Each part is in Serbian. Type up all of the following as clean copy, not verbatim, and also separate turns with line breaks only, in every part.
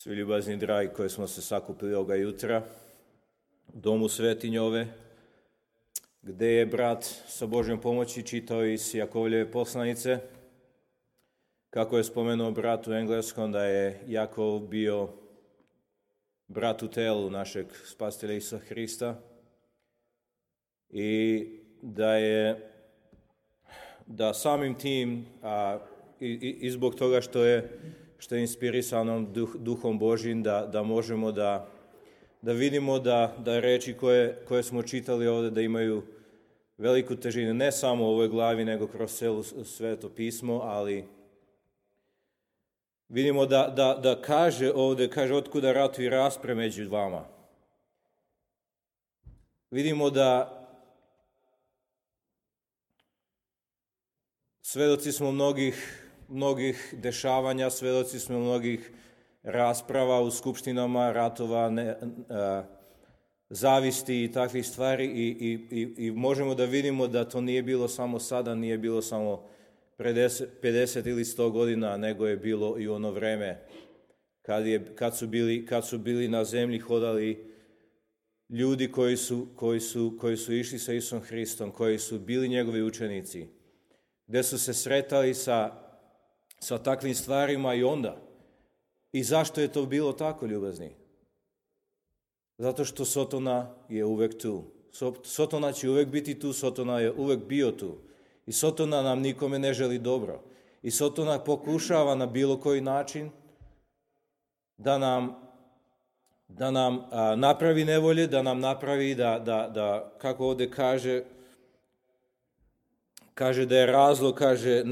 Svi ljubazni dragi koji smo se sakupili ovoga jutra u domu svetinje ove, gde je brat sa Božjom pomoći čitao iz Jakovljeve poslanice, kako je spomenuo brat u engleskom da je Jakov bio brat u telu našeg spasitelja Isusa Hrista i da samim tim i zbog toga što je inspirisanom duhom Božjim da možemo da vidimo da reči koje smo čitali ovdje da imaju veliku težinu, ne samo u ovoj glavi, nego kroz celo Sveto pismo, ali vidimo da kaže ovdje, otkuda ratu i raspre među vama. Vidimo da svedoci smo mnogih dešavanja, svedoci smo mnogih rasprava u skupštinama, ratova, zavisti i takvih stvari i možemo da vidimo da to nije bilo samo sada, nije bilo samo pre 50 ili 100 godina, nego je bilo i ono vreme kad su bili na zemlji hodali ljudi koji su išli sa Isusom Hristom, koji su bili njegovi učenici, gde su se sretali sa takvim stvarima i onda. I zašto je to bilo tako, ljubazni? Zato što Sotona je uvek tu. Sotona će uvek biti tu, Sotona je uvek bio tu. I Sotona nam nikome ne želi dobro. I Sotona pokušava na bilo koji način da nam napravi nevolje, da nam napravi da kako ovdje kaže da je razlog, kaže,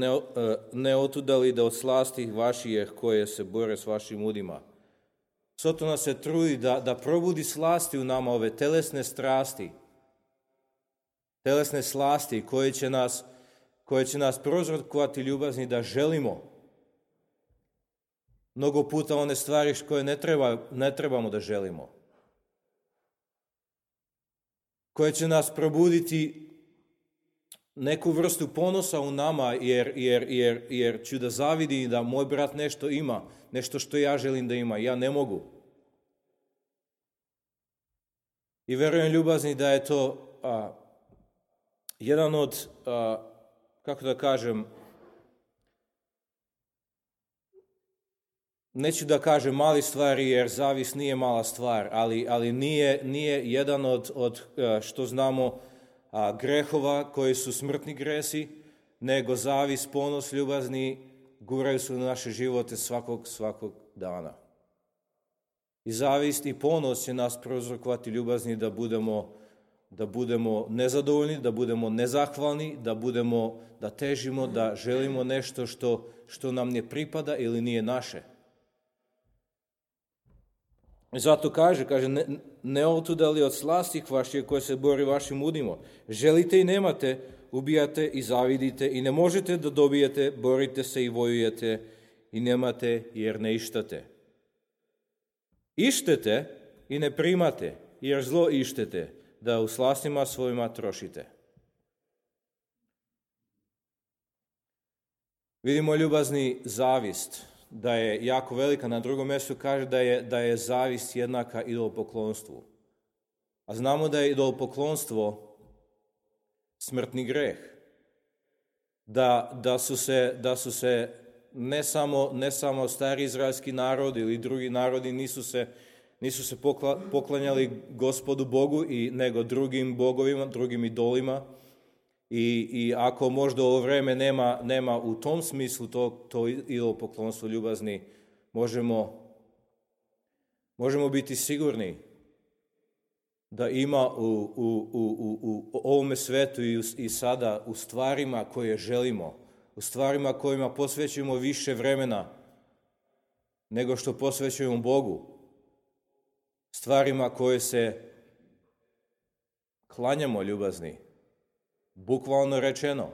ne otudali da od slasti vaših koje se bore s vašim udima. Sotona se trudi da probudi slasti u nama, ove telesne strasti, telesne slasti koje će nas prouzrokovati ljubazni da želimo mnogo puta one stvari koje ne trebamo da želimo. Koje će nas probuditi neku vrstu ponosa u nama, jer ću da zavidim da moj brat nešto ima, nešto što ja želim da ima, ja ne mogu. I verujem, ljubazni, da je to jedan od, kako da kažem, neću da kažem mali stvari, jer zavis nije mala stvar, ali nije jedan od što znamo, grehova koji su smrtni gresi, nego zavis, ponos, ljubazni guraju su na naše živote svakog dana. I zavist i ponos će nas prouzrokovati, ljubazni, da budemo nezadovoljni, da budemo nezahvalni, da težimo, da želimo nešto što nam ne pripada ili nije naše. I zato kaže, ne otudali od slasti vaših koje se bori vašim udima. Želite i nemate, ubijate i zavidite i ne možete da dobijete, borite se i vojujete i nemate jer ne ištate. Ištete i ne primate, jer zlo ištete, da u slastima svojima trošite. Vidimo, ljubazni, zavist da je jako velika. Na drugom mjestu kaže da je zavist jednaka idolopoklonstvu. A znamo da je idolopoklonstvo smrtni greh. Da su se ne samo stari izraelski narod ili drugi narodi nisu se poklanjali Gospodu Bogu, nego drugim bogovima, drugim idolima. I ako možda ovo vreme nema u tom smislu to idolopoklonstvo, ljubazni, možemo biti sigurni da ima u ovome svetu i sada u stvarima koje želimo, u stvarima kojima posvećujemo više vremena nego što posvećujemo Bogu, stvarima koje se klanjamo, ljubazni, bukvalno rečeno.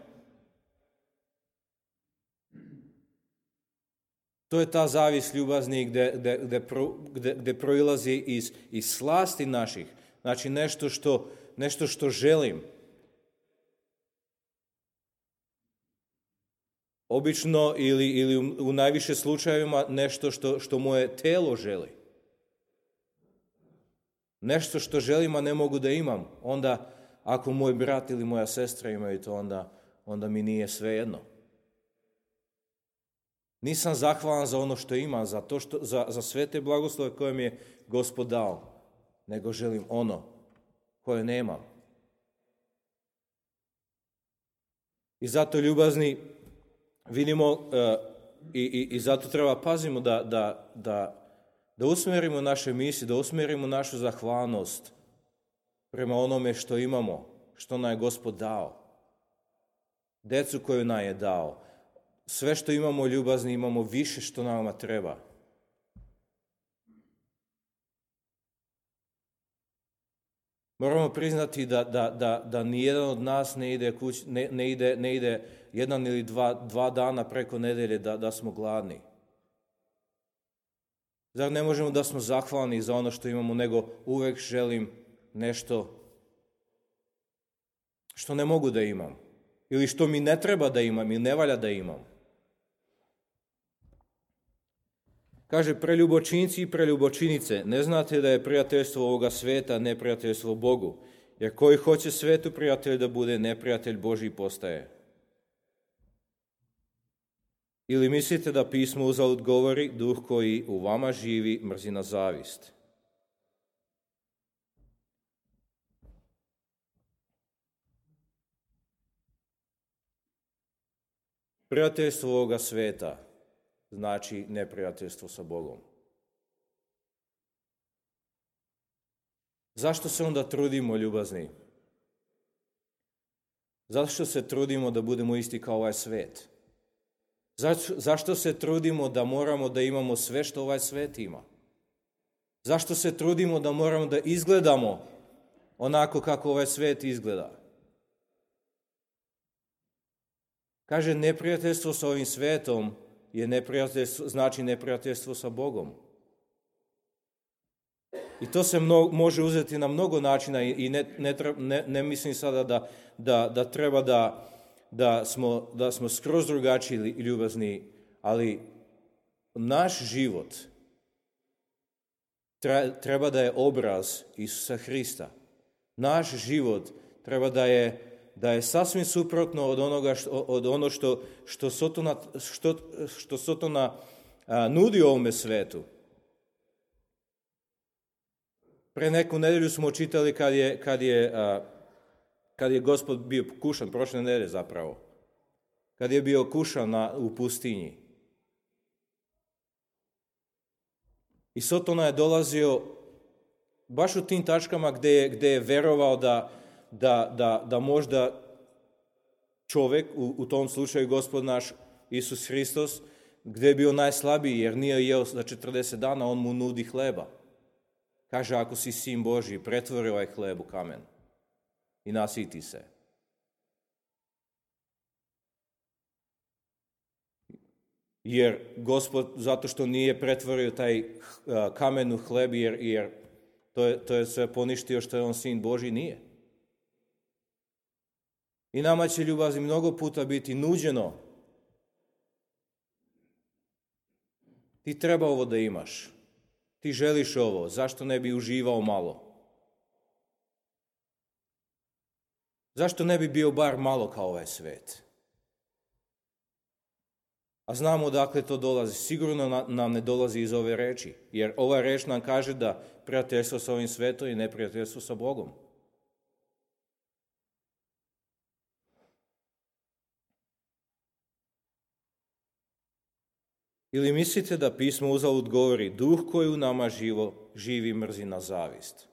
To je ta zavist, ljubazni, gde proilazi iz slasti naših. Znači nešto što želim. Obično ili u najviše slučajevima nešto što moje telo želi. Nešto što želim, a ne mogu da imam. Onda, ako moj brat ili moja sestra imaju to, onda mi nije svejedno. Nisam zahvalan za ono što imam, za sve te blagoslove koje mi je Gospod dao, nego želim ono koje nemam. I zato, ljubazni, vidimo i zato treba pazimo da usmjerimo naše misli, da usmjerimo našu zahvalnost prema onome što imamo, što nam je Gospod dao. Decu koju nam je dao. Sve što imamo, ljubazni, imamo više što nama treba. Moramo priznati da nijedan od nas ne ide jedan ili dva dana preko nedelje da smo gladni. Zar ne možemo da smo zahvalni za ono što imamo, nego uvek želim nešto što ne mogu da imam. Ili što mi ne treba da imam ili ne valja da imam. Kaže, preljubočinci i preljubočinice, ne znate da je prijateljstvo ovoga sveta neprijateljstvo Bogu, jer koji hoće svetu prijatelj da bude, neprijatelj Božji postaje. Ili mislite da pismo uzalud govori, duh koji u vama živi mrzi na zavist. Prijateljstvo ovoga sveta znači neprijateljstvo sa Bogom. Zašto se onda trudimo, ljubazni? Zašto se trudimo da budemo isti kao ovaj svet? Zašto se trudimo da moramo da imamo sve što ovaj svet ima? Zašto se trudimo da moramo da izgledamo onako kako ovaj svet izgleda? Kaže, neprijateljstvo sa ovim svetom znači neprijateljstvo sa Bogom. I to se može uzeti na mnogo načina i ne mislim sada da treba da smo skroz drugačiji ljubazni, ali naš život treba da je obraz Isusa Hrista. Naš život treba da je sasvim suprotno od ono što Sotona nudi ovome svetu. Pre neku nedelju smo čitali kad je Gospod bio kušan, prošle nedelje zapravo, kad je bio kušan u pustinji. I Sotona je dolazio baš u tim tačkama gde je verovao da možda čovek, u tom slučaju Gospod naš Isus Hristos, gde je bio najslabiji jer nije jeo za 40 dana, on mu nudi hleba. Kaže, ako si sin Božji, pretvori ovaj hleb u kamen i nasiti se. Jer Gospod, zato što nije pretvorio taj kamen u hleb, jer to je sve poništio što je on sin Božji, nije. I nama će, ljubazni, mnogo puta biti nuđeno. Ti treba ovo da imaš. Ti želiš ovo, zašto ne bi uživao malo? Zašto ne bi bio bar malo kao ovaj svet? A znamo odakle to dolazi. Sigurno nam ne dolazi iz ove reči, jer ova reč nam kaže da prijateljstvo sa ovim svetom je neprijateljstvo sa Bogom. Ili mislite da pismo uzalud govori, duh koji u nama živi mrzi na zavist?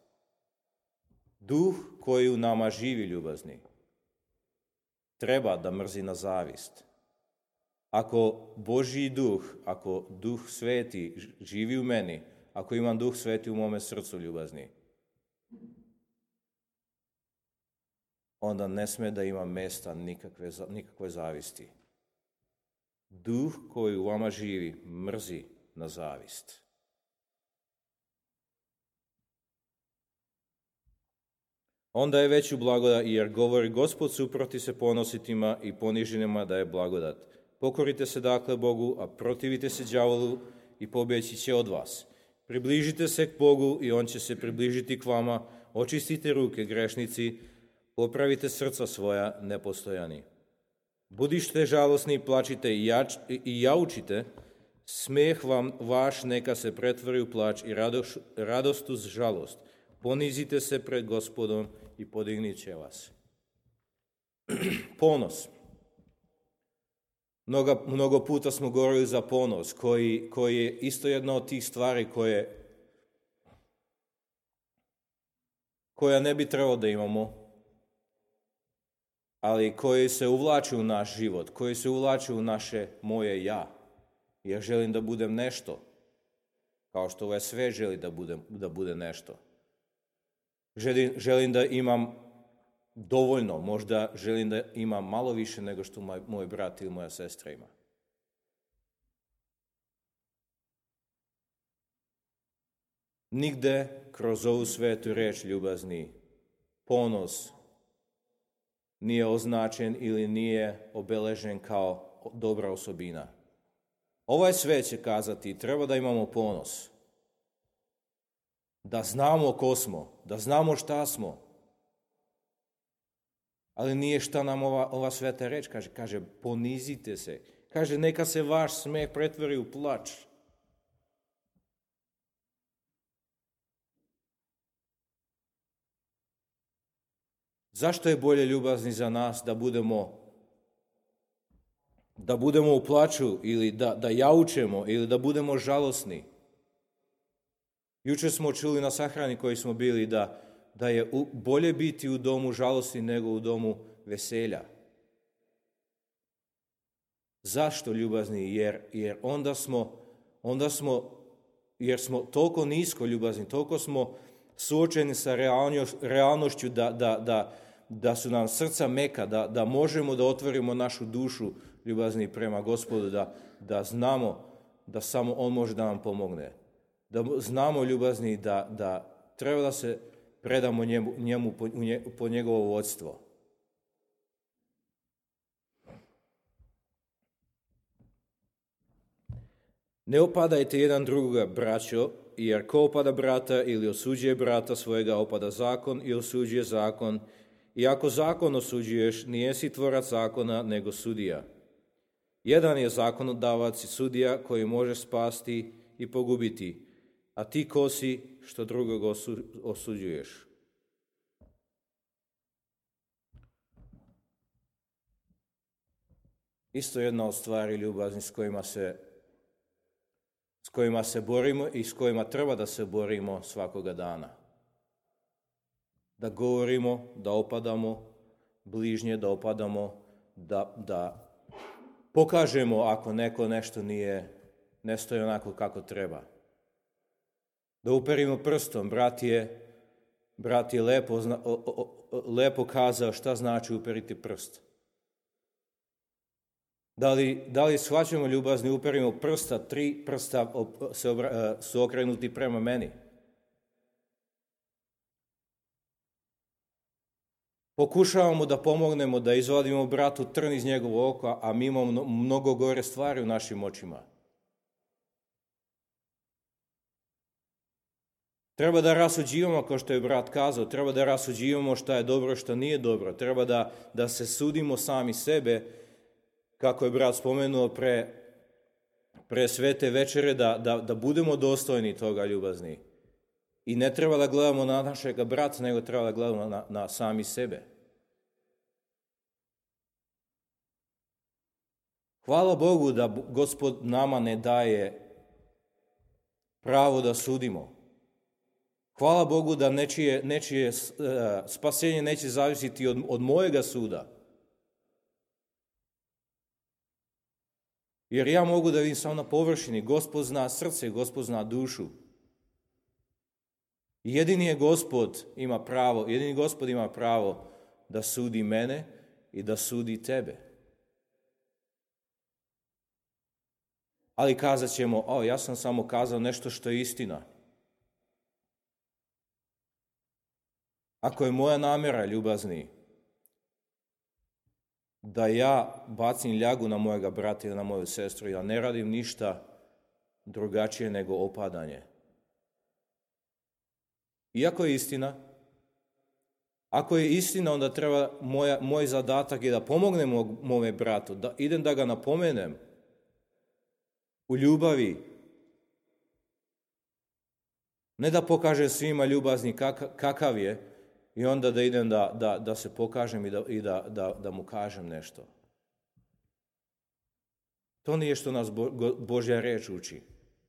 Duh koji u nama živi, ljubazni, treba da mrzi na zavist. Ako Božji duh, ako duh sveti živi u meni, ako imam duh sveti u mome srcu, ljubazni, onda ne sme da ima mesta nikakve zavisti. Duh koji u vama živi mrzi na zavist. Onda je veću blagodat, jer govori Gospod suproti se ponositima i poniženima da je blagodat. Pokorite se dakle Bogu, a protivite se đavolu i pobjeći će od vas. Približite se k Bogu i On će se približiti k vama. Očistite ruke, grešnici, popravite srca svoja, nepostojani. Budište žalosni, plačite i jaučite, smijeh vam vaš neka se pretvori u plač i radost uz žalost. Ponizite se pred Gospodom i podignit će vas. Ponos. Mnogo puta smo govorili za ponos, koji je isto jedna od tih stvari koja ne bi trebalo da imamo, ali koji se uvlači u naš život, koji se uvlači u naše moje ja. Ja želim da budem nešto, kao što ovaj svet želi da bude nešto. Želim da imam dovoljno, možda želim da imam malo više nego što moj brat ili moja sestra ima. Nigde kroz ovu svetu reč, ljubazni, ponos nije označen ili nije obeležen kao dobra osobina. Ovaj svet će kazati, treba da imamo ponos. Da znamo ko smo, da znamo šta smo. Ali nije šta nam ova sveta reč kaže. Kaže, ponizite se. Kaže, neka se vaš smeh pretvori u plač. Zašto je bolje, ljubazni, za nas da budemo u plaču ili da jaučemo ili da budemo žalosni? Jučer smo čuli na sahrani koji smo bili da je bolje biti u domu žalosti nego u domu veselja. Zašto, ljubazni? Jer jer smo toliko nisko, ljubazni, toliko smo suočeni sa realnošću da su nam srca meka, da možemo da otvorimo našu dušu, ljubazni, prema Gospodu, da znamo da samo On može da nam pomogne. Da znamo, ljubazni, da treba da se predamo njemu po njegovo vodstvo. Ne opadajte jedan drugoga, braćo, jer ko opada brata ili osuđuje brata svojega, opada zakon i osuđuje zakon. I ako zakon osuđuješ, nijesi tvorac zakona, nego sudija. Jedan je zakonodavac i sudija koji može spasti i pogubiti, a ti ko si što drugog osuđuješ? Isto jedna od stvari, ljubazni, s kojima se borimo i s kojima treba da se borimo svakoga dana. Da govorimo, da opadamo bližnje, da opadamo, da pokažemo ako neko nešto ne stoji onako kako treba. Da uperimo prstom, brat je lepo kazao šta znači uperiti prst. Da li shvaćamo, ljubazni, uperimo prsta, 3 prsta su okrenuti prema meni. Pokušavamo da pomognemo, da izvadimo bratu trn iz njegovog oka, a mi imamo mnogo gore stvari u našim očima. Treba da rasuđivamo, kao što je brat kazao, treba da rasuđivamo šta je dobro, šta nije dobro. Treba da se sudimo sami sebe, kako je brat spomenuo pre svete večere, da budemo dostojni toga, ljubazni. I ne treba da gledamo na našega brata, nego treba da gledamo na sami sebe. Hvala Bogu da Gospod nama ne daje pravo da sudimo. Hvala Bogu da nečije spasenje neće zavisiti od mojega suda. Jer ja mogu da vidim samo na površini. Gospod zna srce, Gospod zna dušu. Jedini Gospod ima pravo da sudi mene i da sudi tebe. Ali kazat ćemo, ja sam samo kazao nešto što je istina. Ako je moja namjera, ljubazni, da ja bacim ljagu na mojega brata ili na moju sestru, ja ne radim ništa drugačije nego opadanje. Iako je istina, ako je istina, onda treba moj zadatak je da pomognem mome bratu, da idem da ga napomenem u ljubavi. Ne da pokažem svima ljubazni kakav je i onda da idem da se pokažem i da mu kažem nešto. To nije što nas Božja reč uči.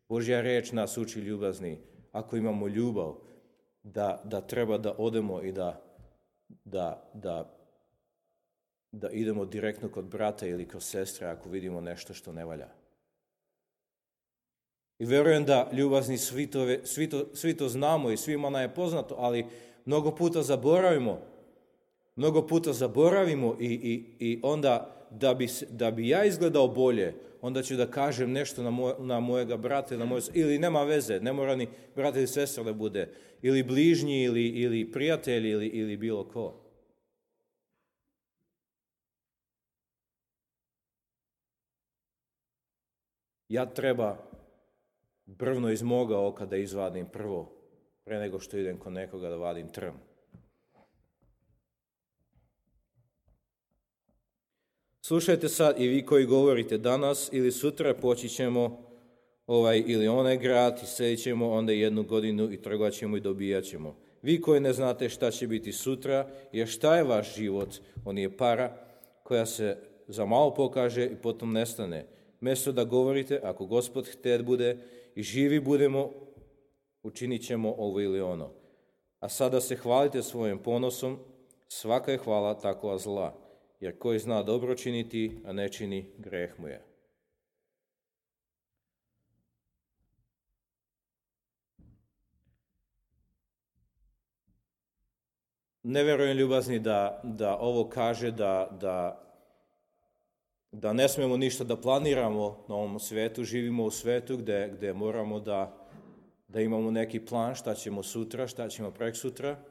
Božja reč nas uči ljubazni. Ako imamo ljubav, da treba da odemo i da idemo direktno kod brata ili kod sestre ako vidimo nešto što ne valja. I verujem da ljubazni svi to znamo i svima nam je poznato, ali mnogo puta zaboravimo i onda da bi ja izgledao bolje, onda ću da kažem nešto na mojega brata ili nema veze, ne mora ni brat ili sestra da bude, ili bližnji ili prijatelj ili bilo ko. Ja treba brvno iz moga oka da izvadim prvo, pre nego što idem kod nekoga da vadim trn. Slušajte sad i vi koji govorite danas ili sutra poći ćemo ovaj ili onaj grad i sedit ćemo onda 1 godinu i trgovat ćemo i dobijat ćemo. Vi koji ne znate šta će biti sutra, jer šta je vaš život? On je para koja se za malo pokaže i potom nestane. Mjesto da govorite, ako Gospod htet bude i živi budemo, učinit ćemo ovo ili ono. A sada se hvalite svojim ponosom, svaka je hvala takva zla. Jer koji zna dobro činiti, a ne čini, greh mu je. Ne verujem ljubazni da ovo kaže da ne smemo ništa da planiramo na ovom svetu. Živimo u svetu gde moramo da imamo neki plan šta ćemo sutra, šta ćemo preksutra.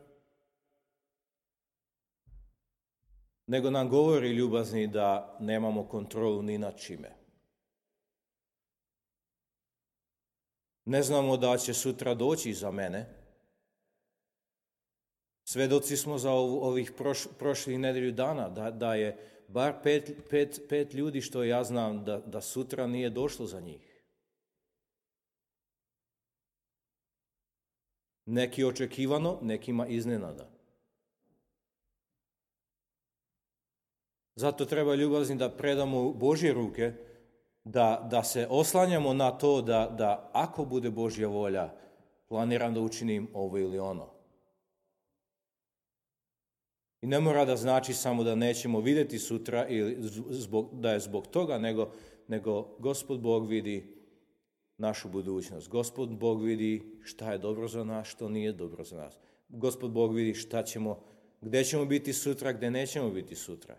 Nego nam govori ljubazni da nemamo kontrolu ni nad čime. Ne znamo da će sutra doći za mene. Svedoci smo za ovih prošlih nedelju dana, da je bar pet ljudi što ja znam da sutra nije došlo za njih. Neki očekivano, nekima iznenada. Zato treba ljubazni da predamo u Božje ruke, da se oslanjamo na to da ako bude Božja volja, planiram da učinim ovo ili ono. I ne mora da znači samo da nećemo vidjeti sutra ili da je zbog toga, nego Gospod Bog vidi našu budućnost. Gospod Bog vidi šta je dobro za nas, što nije dobro za nas. Gospod Bog vidi gdje ćemo biti sutra, gdje nećemo biti sutra.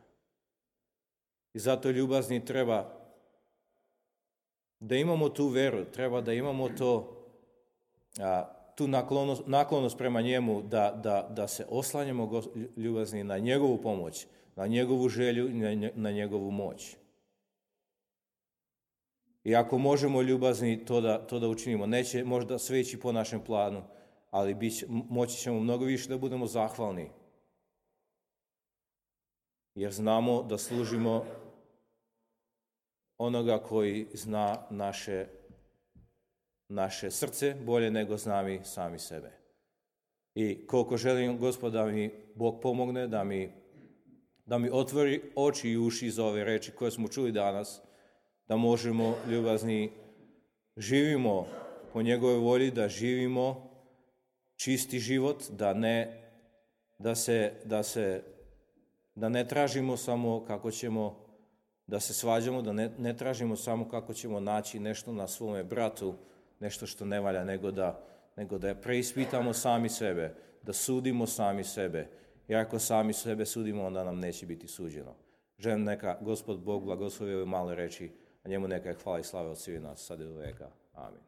I zato ljubazni treba da imamo tu veru, treba da imamo tu naklonost prema njemu, da se oslanjamo ljubazni na njegovu pomoć, na njegovu želju i na njegovu moć. I ako možemo ljubazni to da učinimo, neće možda sve ići po našem planu, ali moći ćemo mnogo više da budemo zahvalni. Jer znamo da služimo onoga koji zna naše srce bolje nego znamo sami sebe. I koliko želim, Gospod, da mi Bog pomogne, da mi otvori oči i uši za ove reči koje smo čuli danas, da možemo ljubazni živimo po njegovoj volji, da živimo čisti život, da ne tražimo samo kako ćemo da se svađamo, da ne tražimo samo kako ćemo naći nešto na svome bratu, nešto što ne valja, nego da preispitamo sami sebe, da sudimo sami sebe. I ako sami sebe sudimo, onda nam neće biti suđeno. Želim neka Gospod Bog blagoslovi ove male reči, a njemu neka je hvala i slava od svih nas, sad i do veka. Amin.